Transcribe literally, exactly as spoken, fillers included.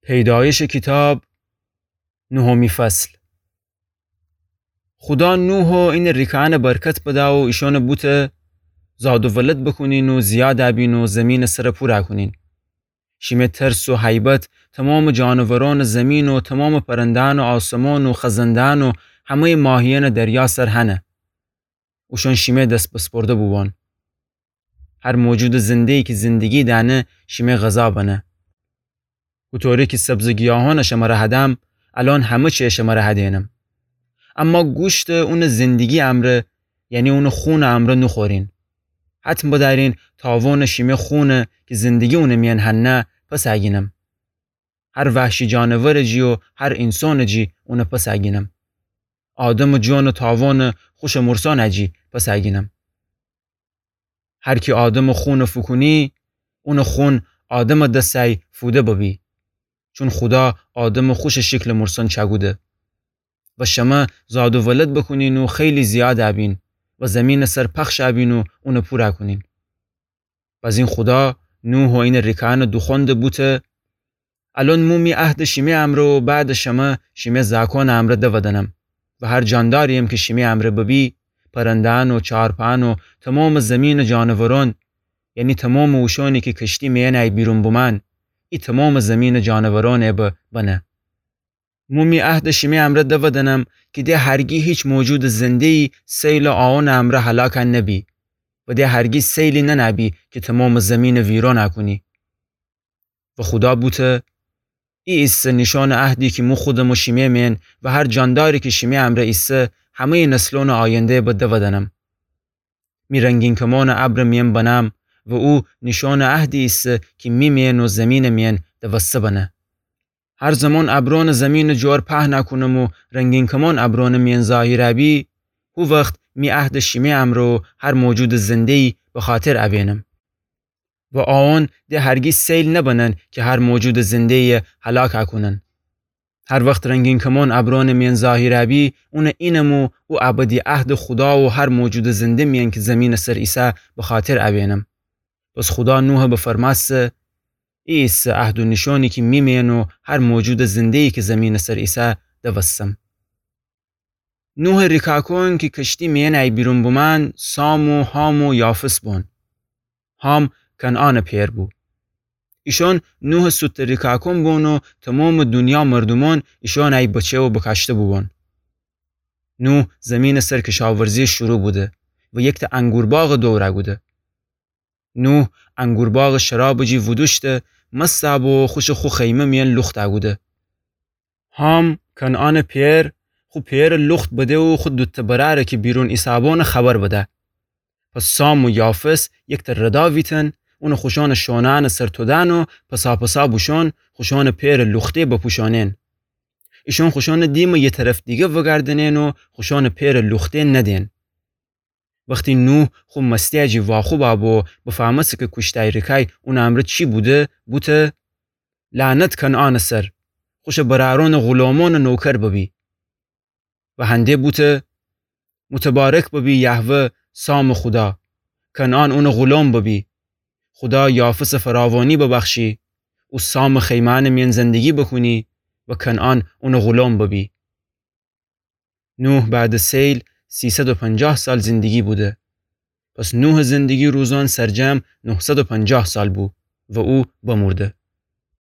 پیدایشٚ کیتاب، نهمی فصل. خودا نوحَ اینٚ ریکه‌أنَ برکت بدأ و ایشأنَ بوته زاد و ولد بوکونین و زیاد بین و زیمینٚ سرَ پورَ کونین. شیمه ترس و هیبت تومامٚ جانورأنٚ زیمین و تومامٚ پرنده‌أنٚ آسمأن و خزنده‌أن و همه‌یٚ ماهیأنٚ دریا سر هنه. اوشأن شیمه دس بسپرده بوبان. هر موجودٚ زنده‌یی کی زندگی دأنه، شیمه غذا بنه. هوطوری کی سبزٚ گیاهأنَ شمره هدم، الأن همه چیَ شمره هدینم. اما گوشتَ اونٚ زندگی امرأ، یعنی اونٚ خونٚ امرأ نوخورین. حتم بدأرین تاوانٚ شیمه خونَ کی زندگی اونٚ میأن هنه پس اگینم. هر وحشی جانورٚ جی و هر اینسانٚ جی اونَ پس اگینم. آدمٚ جانٚ تاوانَ خوشٚ مورسأنٚ جی پس اگینم. هر کی آدمٚ خونَ فوکونی، اونٚ خون آدمٚ دسه فوده ببی. چون خودا آدمَ خوشٚ شکلٚ مورسأن چأکوده. و شمه زاد و ولد بوکونین و خیلی زیاد بین و زیمینٚ سر پخش بین و اونَ پورَ کونین. بزین خودا نوحَ اینٚ ریکه‌أنَ دوخوأنده بوته: الأن مو می عهدَ شیمه امرأ و بعدٚ شمه شیمه زأکأنٚ امرأ دودنم و هر جانداری‌یم کی شیمه امرأ ببی، پرنده‌أن و چارپأن و تومامٚ زیمینٚ جانورأن، یعنی تومامٚ اوشأنی کی کشتی میأنی بیرون بومأن، ای تومامٚ زیمینٚ جانورأنٚ به بنه. مو می عهدَ شیمه امرأ دودنم کی د هرگی هیچ موجودٚ زنده‌یی سیلٚ آوانٚ امرأ هلاک نبی و د هرگی سیلی ننه‌بی کی تومامٚ زیمینَ ویرانَ کونی. و خودا بوته: ای ایسه نیشأنٚ عهدی کی مو خودم و شیمه میأن و هر جانداری کی شیمه امرأ ایسه، همه‌یٚ نسلأنٚ آینده به دودنم. می رنگین کمأنَ ابرٚ میأن بنم و او نیشأنٚ عهدی ایسه کی می میأن و زیمینٚ میأن دوسته بنه. هر زمان ابرأنٚ زیمینٚ جور پهنَ کونم و رنگین کمأن ابرأنٚ میأن ظاهر بی، هو وخت می عهدٚ شیمه امرأ و هر موجودٚ زنده‌یی به خاطر ابینم. و آوان د هرگی سیل نبنن کی هر موجودٚ زنده‌یی هلاک کونن. هر وخت رنگین کمأن ابرأنٚ میأن ظاهر بی، اونٚ اینم و او ابدی عهدٚ خودا و هر موجودٚ زنده میأن کی زیمینٚ سر ایسه به خاطر ابینم. پس خودا نوحَ بفرمأسته: ای ایسه عهد و نیشأنی کی می میأن و هر موجودٚ زنده‌یی کی زیمینٚ سر ایسه دوستم. نوحٚ ریکاکوئن کی کشتی میأنی بیرون بومأن، سام و حام و یافث بون. حام کنعانٚ پئر بو. ایشأن نوحٚ سوتٚ ریکاکوئن بون و تومامٚ دونیا مردومأن ایشأنی بچه و بکاشته بوبون. نوح زیمینٚ سر کشاورزی شروع بوده و یکتأ انگورباغٚ دورَ کوده. نوح انگورباغٚ شرابٚ جی وودوشته، مست بو و خوشٚ خو خیمه میأن لوخت کوده. حام، کنعانٚ پئر، خو پئرٚ لوخت بده و خو دوتأ برأرٚ کی بیرون ایسه‌بون خبر بده. پس سام و یافث یکتأ ردا ویتن، اونٚ خوشأنٚ شونأنٚ سر تودأن و پسا پسا بوشون خوشأنٚ پئرٚ لوخته بپوشونن. ایشأن خوشأنٚ دیمٚ یه طرف دیگه وگردنن و خوشأنٚ پئرٚ لوخته ندن. وختی نوح خو مستی جی واخوب بو و بفهمسته کی کوشتأی ریکأی اونٚ امرأ چی بوده، بوته: لعنت کنعانٚ سر، خوشٚ برأرأنٚ غلامأنٚ نوکر ببی. و هنده بوته: متبارک ببی یهوه سامٚ خودا، کنعان اونٚ غلام ببی. خودا یافثٚ فراوانی ببخشی، او سامٚ خیمأنٚ میأن زندگی بوکونی و کنعان اونٚ غلام ببی. نوح بعدٚ سیل سیصد و پنجاه سال زندگی بوده. پس نوحٚ زندگی روزأن سرجم نهصد و پنجاه سال بو و او بمورده.